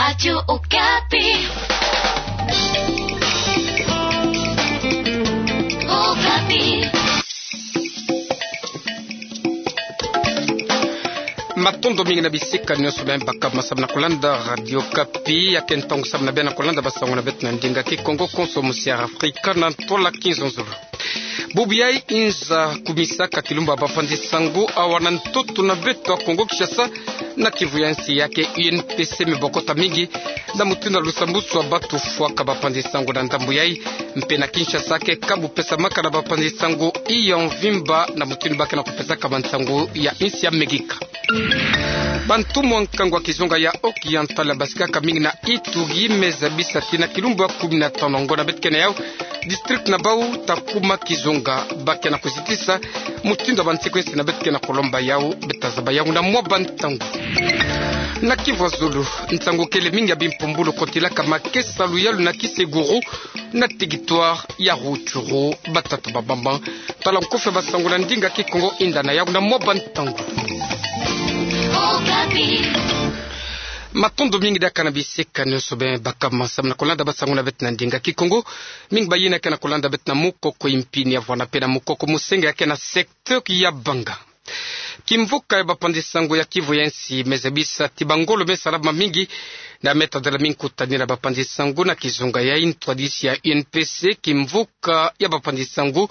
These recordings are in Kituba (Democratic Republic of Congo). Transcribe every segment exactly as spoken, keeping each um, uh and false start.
Radio Okapi. Okapi. Matondo mingi na bisika nyonso bie bakama samu na kolanda Radio Okapi. Ya ke ntangu samu na bie na kolanda basango na beto na ndinga Kikongo konso musi ya Afrika na ntwala kinzonzolo. Bubu yayi nza kumisaka kilumbu ya bapanzi sango awa na ntoto na beto ya Kongo Kinshasa, na kivu ya nsi ya ke U N P C mibokota mingi na mutindu ya lusambusu ya batu fwaka bapanzi sango na ndambu yayi. Mpe na Kinshasa ke kabu pesamaka na bapanzi sango ya mvimba na mutindu ba ke na kupesaka bansango ya nsi ya Amerika. Bantu mwa nkangu ya kizunga ya Occidental basikaka mingi na Ituri, me zabisa ti na kilumbu ya kumi na tanu ya ngonda beto ke na yawu, district na bawu ta kuma kizunga. Ba ke na kuzitisa mutindu ya bansekwensi na beto ke na kulomba yawu, beta zaba yawu na mwa bantangu. Na kivu ya zulu, nsangu kele mingi ya bimpumbulu kotilaka makesa luyalu na Kiseguru, na territoire ya Rutshuru. Batata babamba tala nkufi ya basango na ndinga Kikongo, yinda na yawu na mwa bantangu. Matondo mingi diaka na bisika nyonso bie bakama samu na kolanda basango na beto na ndinga Kikongo. Mingi bayina ke na kolanda beto na mukoko ya mpini ya vwanda mpe na mukoko musenga ya ke na secteur ya Banga. Kimvuka ya bapanzi sango ya kivu ya nsi me zabisa ti bangolo me salama mingi na me tadala mingi kutanina bapanzi sango na kizunga yayi. Ntwadisi ya U N P C, kimvuka ya bapanzi sango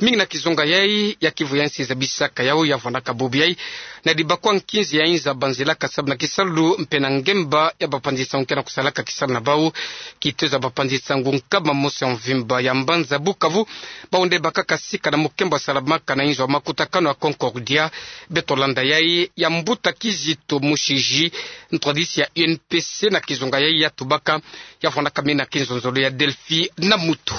mingi na kizunga yayi ya kivu ya nsi, zabisaka yawu ya vwandaka bubu yayi na dibakwa nkinzi ya inza banzilaka samu na kisalu mpe na ngemba ya bapanzi sango ke na kusalaka kisalu na bawu. Kitezo ya bapanzi sango nkama mosi ya mvimba ya mbanza Bukavu, bawu nde bakaka sika na mukembo ya salamaka na inzo ya makutakanu ya Concordia. Beto landa yayi ya mbuta Kizito Mushiji, ntwadisi ya U N P C na kizunga yayi, ya tubaka, ya vwandaka mingi na kinzonzolo ya Delphi Namutu.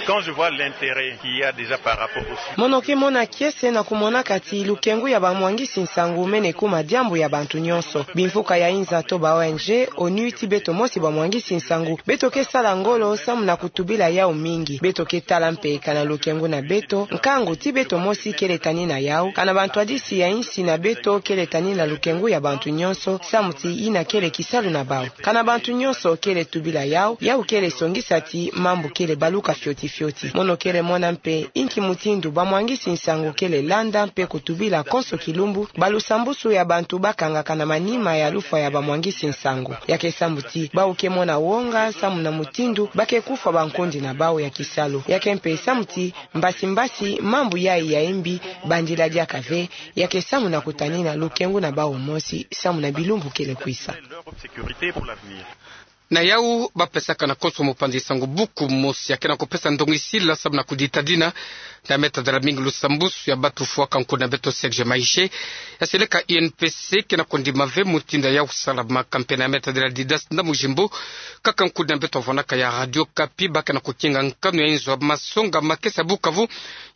Quand je vois l'intérêt qu'il y a déjà par rapport au... Mono ke mona kiese na kumonaka ti lukengu ya bamwangisi nsangu mene kuma diambu ya bantu nyonso. Bimvuka ya inza to ba O N G, ONU ti beto mosi bamwangisi nsangu, beto ke sala ngolo samu na kutubila yawu mingi. Beto ke tala mpe kana lukengu na beto, nkangu ti beto mosi kele tanina yawu, kana bantwadisi ya insi na beto kele tanina lukengu ya bantu nyonso, samu ti yina kele kisalu na bawu. Kana bantu nyonso kele tubila yawu, yawu kele songisa ti mambu kele baluka fioti fioti. Mono kele mona mpe inki mutindu bamwangisi nsangu kele landa mpe kutubila konso kilumbu balusambusu ya bantu bakangaka na manima ya lufwa ya bamwangisi nsangu. Ya ke samu ti bawu ke mona wonga samu na mutindu ba ke kufwa bankondi na bawu ya kisalu. Ya ke mpe samu ti mbasi mbasi mambu yayi ya imbi bandila diaka ve. Ya ke samu na kutanina lukengu na bawu mosi samu na bilumbu kele kwisa. Na yawu, bapesaka na konso mopanzi sango buku mosi ya ke na kupesa ndongisila samu na kuditadina na me tadala mingi lusambusu ya batu fwaka nkundi na beto Serge Maïge. Ya seleka U N P C ke na kundima ve mutindu ya yawu salamaka, mpe na me tadala Didas na Mujimbo, kaka nkundi na beto vwandaka ya Radio Okapi, ba ke na kukinga nkanu ya inzo ya masonga makesa Bukavu,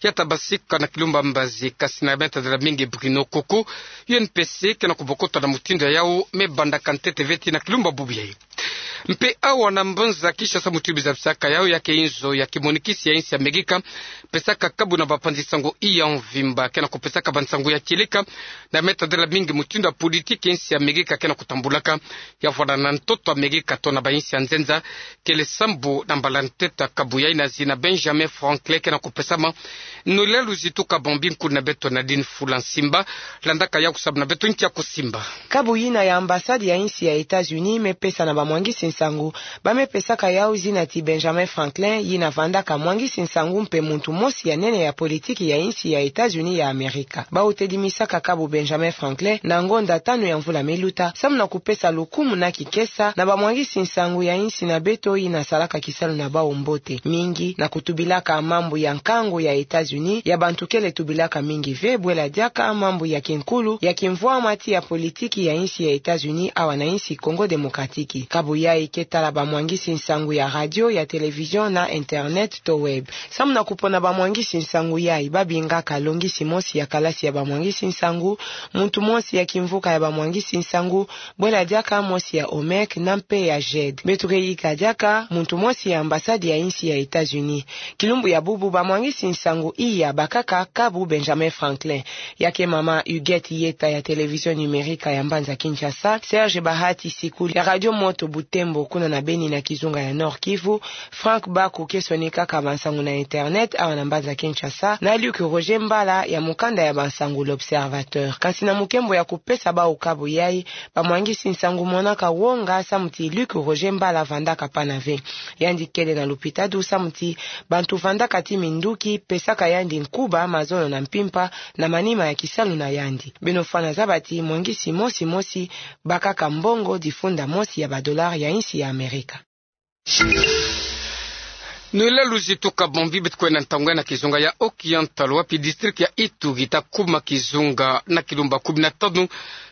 ya ta basika na kilumbu ya mbazi. Kasi na me tadala mingi Bruno Koko, U N P C ke na kubokota na mutindu ya yawu me bandaka ntete ve ti na kilumbu ya bubu yayi. Mpe awa na mbanza Kinshasa, mutindu ba zabisaka yawu, ya ke inzo ya kimonikisi ya insi ya Amerika pesaka kabu na bapanzi sango ya mvimba ke na kupesaka bansango ya kieleka na me tadala mingi mutindu ya politiki insi ya Amerika ke na kutambulaka, ya vwanda na ntoto Amerika to na bainsi ya nzenza. Kele sambu na mbala ntete ya kabu yayi na zina Benjamin Franklin ke na kupesama. Nolila luzitu kabambi nkundi na beto Nadine Fula Nsimba, landaka yawu samu na beto nki ya kusimba. Kabu yina ya ambassade ya insi ya États-Unis me pesa na bamwangisi nsangu, ba me pesaka yawu zina ti Benjamin Franklin, yina vandaka mwangisi nsangu mpe muntu mosi ya nene ya politiki ya insi ya États-Unis ya Amerika. Bawu tedimisaka kabu Benjamin Franklin na ngonda tanu ya mvula me luta, samu na kupesa lukumu na kikesa na bamwangisi nsangu ya insi na beto yina salaka kisalu na bawu mbote mingi na kutubilaka mambu ya nkangu ya États-Unis, ya bantu kele tubilaka mingi ve, bwela diaka mambu ya kinkulu, ya kimvwama ti ya politiki ya insi ya États-Unis awa na insi Congo Démocratique. Kabu ya Ike tala bamwangisi nsangu ya radio, ya télévision na internet to web. Samu na kupona bamwangisi nsangu yai, babingaka longisi mosi ya kalasi ya bamwangisi nsangu, muntu mosi ya kimvuka ya bamwangisi nsangu, bwela diaka mosi ya OMEC na mpe ya GED. Beto ke yika diaka muntu mosi ya ambassade ya insi ya États-Unis. Kilumbu ya bubu bamwangisi nsangu iya bakaka kabu Benjamin Franklin. Ya ke mama Huguette Yeta ya télévision numérique ya mbanza Kinshasa, Serge Bahati Sikuli ya radio Moto Butembo kuna na Beni na kizunga ya Nord-Kivu, Franck Baku ke sonikaka bansangu na internet awa na mbanza Kinshasa, na Luc Roger Mbala ya mukanda ya bansangu L'Observateur. Kansi na mukembo ya kupesa bawu kabu yai, bamwangisi nsangu monaka wonga samu ti Luc Roger Mbala vandaka pana ve. Yandi kele na lupitalu samu ti bantu vandaka ti minduki pesaka yandi nkuba, mazono na mpimpa na manima ya kisalu na yandi. Beno fwana zaba ti mwangisi mosi mosi bakaka mbongo difunda mosi ya badollar ya insi ya Amerika. Noëlla Luzi Tuka Bombi, beto kwenda ntangu ya na kizunga ya Occidental, wapi district ya Ituri ta kuma kizunga na kilumba kumi na tanu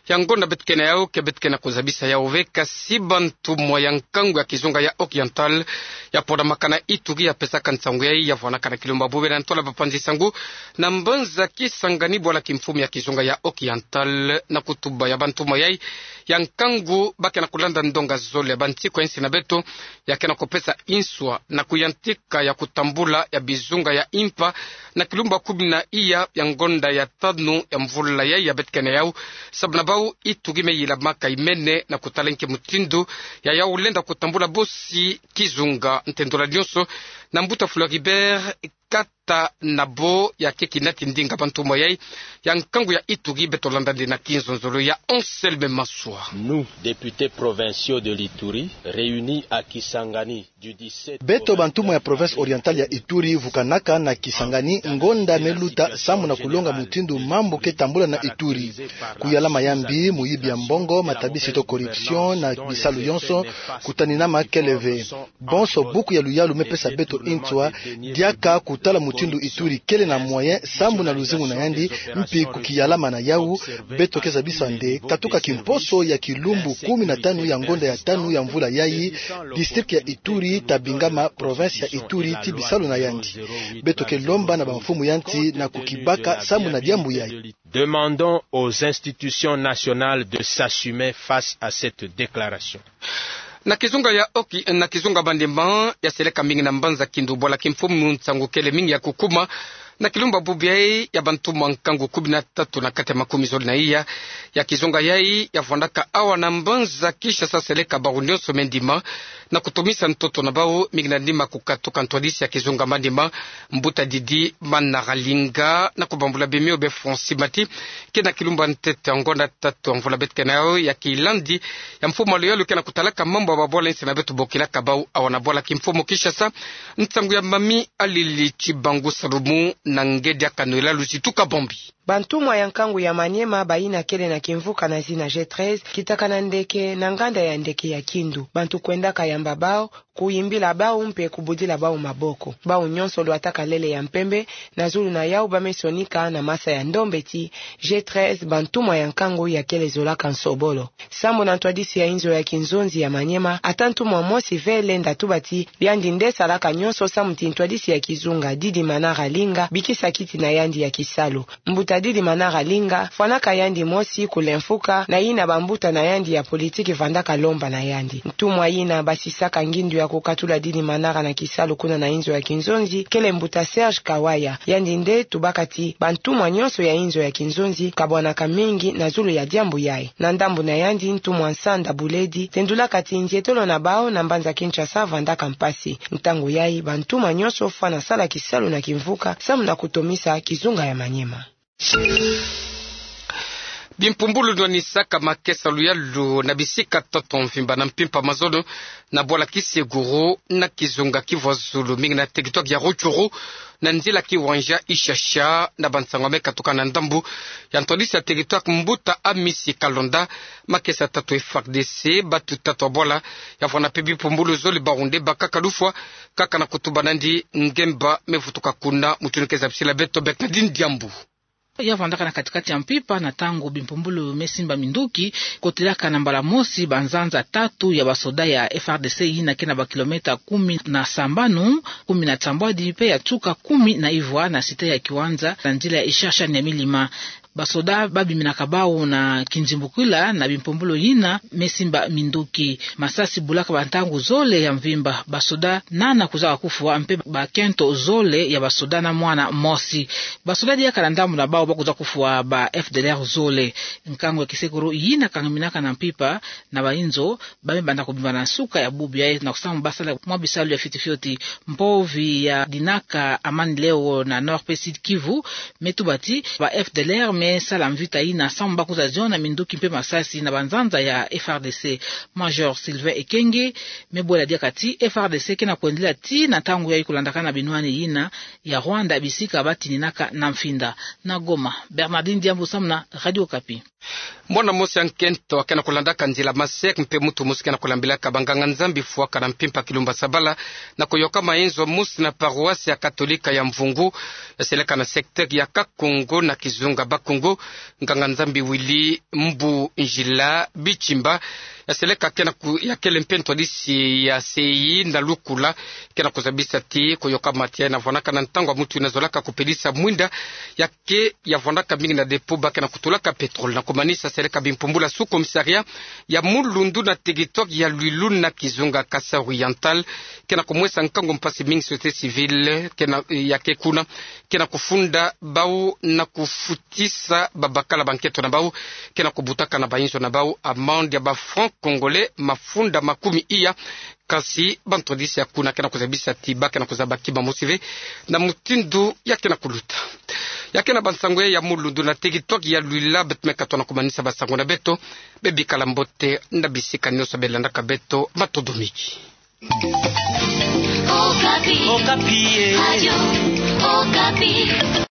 ya ngonda beto ke na yau, ke beto ke na kuzabisa yau ve. Kasi bantumwa ya nkangu ya kizunga ya Occidental ya pona makana Ituri ya pesaka nsangu yai, ya vwanaka na kilumba bubu na ntola bapanzi nsangu na mbanza Kisangani, bwala kimfumu ya kizunga ya Occidental, na kutuba ya bantumwa yai ya nkangu ba ke na kulanda ndonga zole ya bansiku ya insi na beto, ya ke na kupesa inswa na kuyantika ya kutambula ya bizunga ya impa na kilumba kumi na iya ya ngonda ya tanu ya mvula yai ya beto ke na yau. Sababu na bawu, Ituri me yilamaka imene na kutala nki mutindu ya yau lenda kutambula bosi kizunga. Ntendola nionso na mbuta Floribert Katanabo, ya ke kinati ndinga bantumwa yai ya nkangu ya Ituri. Beto landa nde na kinzonzolo ya Anselme Maswa. Nous, députés provinciaux de l'Ituri, réunis à Kisangani du dix-sept au vingt-neuf. Beto bantumwa ya province orientale ya Ituri vukanaka na Kisangani ngonda me luta samu na kulonga mutindu mambu ke tambula na Ituri. Kuyalama ya mbi, muyibi ya mbongo, matabisi to corruption na bisalu yonso, kutaninama kele ve. Bonso buku ya luyalu me pesa beto inswa, diaka kutala mutindu Ituri kele na moyen sambu na luzingu na yandi, mpi kukiyalama na yau, beto ke zabisa nde katuka kimposo ya kilumbu kumi na tanu ya ngonda ya tanu ya mvula yai, district ya Ituri ta bingama province ya Ituri ti bisalu na yandi. Beto ke lomba na bamfumu ya nsi na kukibaka sambu na diambu yai. Demandons aux institutions nationales de s'assumer face à cette déclaration. Na kizunga ya Oki, na kizunga Maniema, ya seleka mingi na mbanza Kindu bwala kimfumu, nsangu kele mingi ya kukuma na kilumba bubu yai ya bantumwa nkangu kumi na tatu na kati ya makumi zole na iya ya kizunga yai ya vwandaka awa na mbanza Kinshasa, seleka bawu nionso me ndima na kutomisa ntoto na bawu, mingi na ndima kukatuka ntwadisi ya kizunga Maniema, mbuta Didi Manaralinga, na kubambula bimio be Francis Mati, ke na kilumba ntete ya ngonda tatu ya mvula beto ke na yau ya kilandi ya mfumu ya luyalu ke na kutalaka mambu ya babwala ya nsi na beto bokilaka bawu awa na bwala kimfumu Kinshasa. Nsangu ya Mami Alili Tshibangu Salumu na nge diaka Noëlla Luzitu Kabombi. Bantumwa ya nkangu ya Maniema bayina kele na kimvuka na zina G treize, kitaka na ndeke na nganda ya ndeke ya Kindu. Bantu kwendaka yamba bawu, kuyimbila bawu mpe kubudila bawu maboko. Bawu nionso lwataka lele ya mpembe, na zulu na yawu ba me sonika na masa ya ndombe ti G treize, bantumwa ya nkangu ya kele zolaka nsobolo. Sambu na ntwadisi ya inzo ya kinzonzi ya Maniema, ata ntumwa mosi ve lenda tuba ti yandi nde salaka nionso samu ti ntwadisi ya kizunga Didi Manaralinga bikisa kiti na yandi ya kisalu. Mbuta Didi Manaralinga fwanaka yandi mosi kulemfuka na yina bambuta na yandi ya politiki vandaka lomba na yandi. Ntumwa yina basisaka ngindu ya kukatula Didi Manara na kisalu kuna na inzo ya kinzonzi kele mbuta Serge Kawaya. Yandi nde tubaka ti bantumwa nionso ya inzo ya kinzonzi kabwanaka mingi na zulu ya diambu yai. Na ndambu na yandi, ntumwa Nsanda Buledi tendulaka ti nzietolo na bawu na mbanza Kinshasa vandaka mpasi. Ntangu yai, bantumwa nionso fwana sala kisalu na kimvuka samu na kutomisa kizunga ya Maniema. Bimpumbulu nwanisaka makesa luyalu na bisika ntoto mvimba na mpimpa mazono na bwala Kiseguru na kizunga Kivu ya Zulu, mingi na territoire ya Rutshuru, na nzila Kiwanja Ishasha. Na bansangu me katuka na ndambu ya ntwadisi ya territoire, mbuta Amisi Kalonda, makesa tatu F A R D C, batu tatu ya bwala ya vwanda mpe bimpumbulu zole, bawu nde bakaka lufwa kaka na kutuba nandi ngemba me vutuka kuna. Mutu ni ke zabisila beto Bernardine Diambu. Ya vandaka na katikati ya mpimpa na ntangu bimpumbulu me simba minduki, kotelaka na mbala mosi banzanza tatu ya basoda ya F R D C yina ke na bakilometa kumi na sambanu, kumi na sambwadi, mpe ya nsuka kumi na ivwa na site ya Kiwanja, na nzila ya Ishasha Nyamilima. Basoda babiminaka bau na kinzimbukila na bimpumbulu yina me simba minduki. Masasi bulaka bantangu zole ya mvimba. Basoda nana kuzaka kufwa, mpe bakento zole ya basoda na mwana mosi. Basoda diaka na ndambu na bau ba kwiza kufwa ba F D L R zole. Nkangu ya kisekuru yina kangaminaka na mpimpa na bainzo, ba me banda kobimba na nsuka ya bubu yayi na kusamu ba sala mwa bisalu ya fioti fioti. Mpovi ya dinaka Amani Leo na Nord mpe Sud Kivu me tuba ti ba F D L R me sala mvita yina samu ba kwiza ziona minduki mpe masasi na banzanza ya F R D C. Major Sylvain Ekenge me bwela diaka ti F R D C ke na kwendela tii na ntangu yayi kolandaka na binwani yina ya Rwanda, bisika ba tininaka na mfinda. Na Goma, Bernardine Diambu samu na Radio Okapi. Mwana mosi ya nkento ke na kolandaka nzila maseke mpe muntu mosi ke na kolambilaka banganga-Nzambi fwaka na mpimpa Kilumba Sabala, na koyoka mayenzo mosi na paroisse ya Katolika ya Mvungu, ya seleka na secteur ya Kakongo na kizunga Bakongo, nganga-Nzambi Willy Mbu Njila Bitshimba, ya seleka ke na ku-, ya kele mpe ntwadisi ya sei na lukula, ke na kuzabisa ti koyoka mati yayi na vwanaka na ntangu ya muntu yina zolaka kupelisa mwinda ya ke ya vwandaka mingi na dépôt ba ke na kutulaka pétrole. Na kumanisa, seleka bimpumbulu ya sous-commissariat ya Mulundu na territoire ya Luilu na kizunga Kasaï Oriental ke na kumwesa nkangu mpasi mingi société civile ke na, ya ke kuna, ke na kufunda bau na kufutisa babakala bankento na bau, ke na kubutaka na bainzo na bau amende ya ba francs congolais mafunda makumi iya. Kasi bantwadisi ya kuna ke na kuzabisa ti ba ke na kuzaba kima mosi ve na mutindu ya ke na kuluta. Ya ke na bansangu ya Mulundu na territoire ya Luila, beto me katuka na kumanisa bansangu na beto. Bebikala mbote na bisika nyonso belandaka beto. Matondo mingi. Okapi. Okapi, eh. Radio Okapi.